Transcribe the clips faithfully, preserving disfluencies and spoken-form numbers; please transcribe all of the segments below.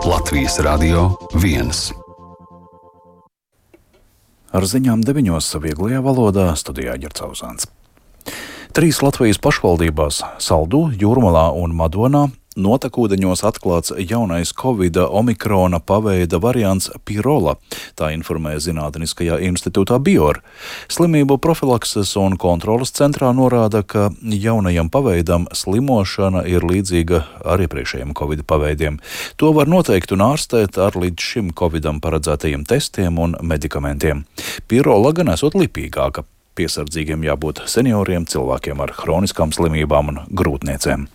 Latvijas Radio viens. Ar ziņām deviņos vieglajā valodā studijā Ģercauzāns. Trīs Latvijas pašvaldībās - Saldū, Jūrmalā un Madonā - notekūdeņos atklāts jaunais Covida omikrona paveida variants Pirola, tā informēja Zinātniskajā institūtā Bior. Slimību profilakses un kontroles centrā norāda, ka jaunajam paveidam slimošana ir līdzīga ar iepriekšējiem Covid paveidiem. To var noteikt un ārstēt ar līdz šim Covidam paredzētajiem testiem un medikamentiem. Pirola gan esot lipīgāka. Piesardzīgiem jābūt senioriem, cilvēkiem ar hroniskām slimībām un grūtniecēm.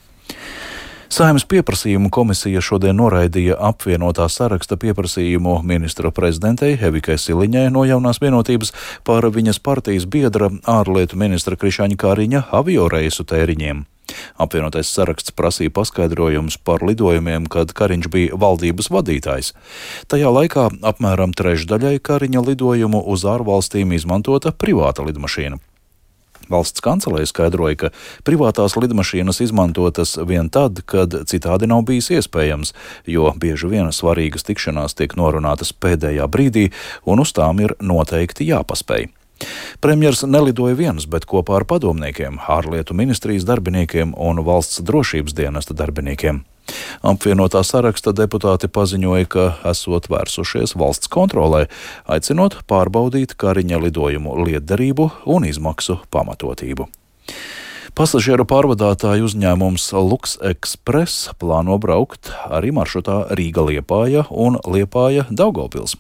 Saeimas pieprasījumu komisija šodien noraidīja apvienotā saraksta pieprasījumu ministra prezidentei Evikai Siliņai no Jaunās vienotības par viņas partijas biedra ārlietu ministra Krišaņa Kariņa avioreisu tēriņiem. Apvienotais saraksts prasīja paskaidrojumus par lidojumiem, kad Kariņš bija valdības vadītājs. Tajā laikā apmēram trešdaļai Kariņa lidojumu uz ārvalstīm izmantota privāta lidmašīna. Valsts kancelē skaidroja, ka privātās lidmašīnas izmantotas vien tad, kad citādi nav bijis iespējams, jo bieži vien svarīgas tikšanās tiek norunātas pēdējā brīdī, un uz tām ir noteikti jāpaspēj. Premjers nelidoja viens, bet kopā ar padomniekiem, ārlietu ministrijas darbiniekiem un valsts drošības dienesta darbiniekiem. Apvienotā saraksta deputāti paziņoja, ka esot vērsušies valsts kontrolē, aicinot pārbaudīt Kariņa lidojumu lietderību un izmaksu pamatotību. Pasažieru pārvadātāju uzņēmums Lux Express plāno braukt arī maršrutā Rīga-Liepāja un Liepāja-Daugavpils.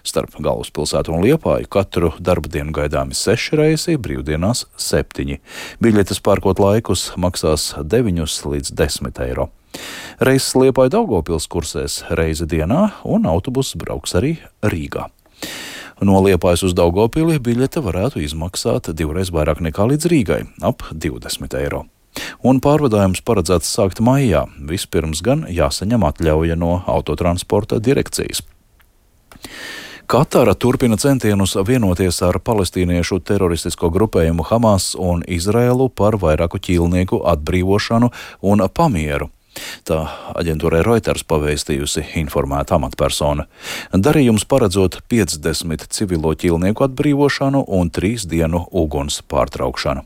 Starp galvaspilsētu un Liepāju katru darbdienu gaidāmi seši reisi, brīvdienās septiņi. Biļetes pērkot laikus maksās deviņus līdz desmit eiro. Reises Liepāja-Daugavpils kursēs reizi dienā, un autobuss brauks arī Rīgā. No Liepājas uz Daugavpili biļete varētu izmaksāt divreiz vairāk nekā līdz Rīgai - ap divdesmit eiro. Un pārvadājums paredzēts sākt maijā. Vispirms gan jāsaņem atļauja no autotransporta direkcijas. Katara turpina centienus vienoties ar palestīniešu teroristisko grupējumu Hamas un Izraēlu par vairāku ķīlnieku atbrīvošanu un pamieru. Tā aģentūrai Reuters pavēstījusi informēta amatpersona. Darījums paredzot piecdesmit civilo ķīlnieku atbrīvošanu un trīs dienu uguns pārtraukšanu.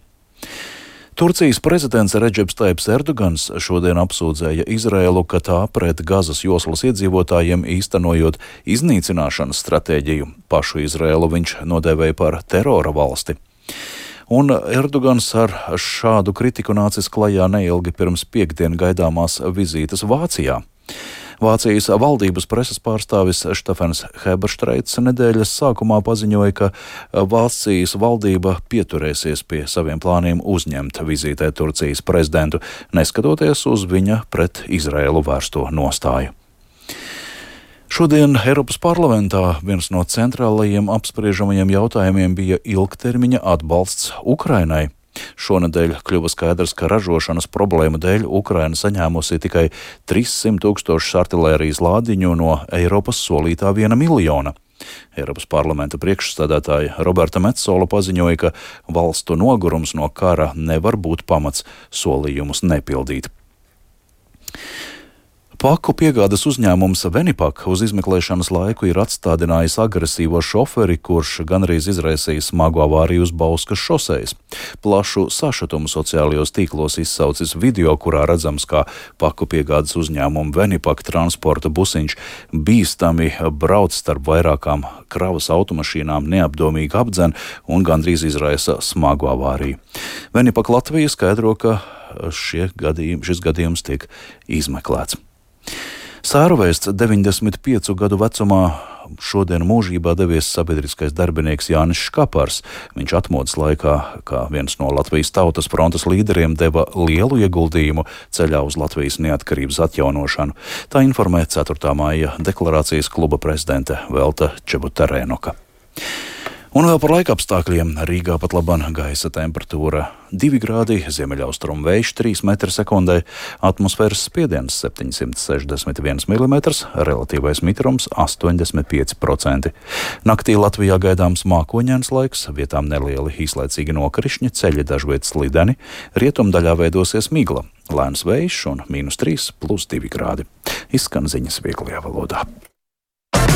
Turcijas prezidents Redžeps Taips Erdogans šodien apsūdzēja Izraēlu, ka tā pret Gazas joslas iedzīvotājiem īstenojot iznīcināšanas stratēģiju. Pašu Izraēlu viņš nodēvēja par terora valsti. Un Erdogans ar šādu kritiku nācis klajā neilgi pirms piektdien gaidāmās vizītes Vācijā. Vācijas valdības preses pārstāvis Štefans Heberštreits nedēļas sākumā paziņoja, ka Vācijas valdība pieturēsies pie saviem plāniem uzņemt vizītē Turcijas prezidentu, neskatoties uz viņa pret Izraēlu vērsto nostāju. Šodien Eiropas parlamentā viens no centrālajiem apspriežamajiem jautājumiem bija ilgtermiņa atbalsts Ukrainai. Šonedēļ kļuva skaidrs, ka ražošanas problēmu dēļ Ukraina saņēmusi tikai trīssimt tūkstošus artilērijas lādiņu no Eiropas solītā viena miljona. Eiropas parlamenta priekšsēdētāja Roberta Metsola paziņoja, ka valstu nogurums no kara nevar būt pamats solījumus nepildīt. Paku piegādes uzņēmums Venipak uz izmeklēšanas laiku ir atstādinājis agresīvo šoferi, kurš gandrīz izraisīja smagu avāriju uz Bauskas šosejas. Plašu sašutumu sociālajos tīklos izsaucis video, kurā redzams, kā paku piegādes uzņēmuma Venipak transporta busiņš bīstami brauc starp vairākām kravas automašīnām, neapdomīgi apdzen un gandrīz izraisa smagu avāriju. Venipak Latvija skaidro, ka šie gadījumi, šis gadījums tiek izmeklēts. Sēruvēsts deviņdesmit piecu gadu vecumā šodien mūžībā devies sabiedriskais darbinieks Jānis Škapars. Viņš atmodas laikā, kā viens no Latvijas Tautas frontes līderiem, deva lielu ieguldījumu ceļā uz Latvijas neatkarības atjaunošanu. Tā informē ceturtā māja deklarācijas kluba prezidente Velta Čebuterēnoka. Un vēl par laikapstākļiem. Rīgā pat labāk gaisa temperatūra divi grādi, ziemeļaustrumu vējš trīs metri sekundē, atmosfēras spiediens septiņsimt sešdesmit viens milimetrs, relatīvais mitrums astoņdesmit pieci procenti. Naktī Latvijā gaidāms mākoņains laiks, vietām nelieli īslaicīgi nokrišņi, ceļi dažviet slideni, rietumdaļā veidosies migla, lēns vējš un mīnus trīs plus divi grādi. Izskan ziņas vieglajā valodā.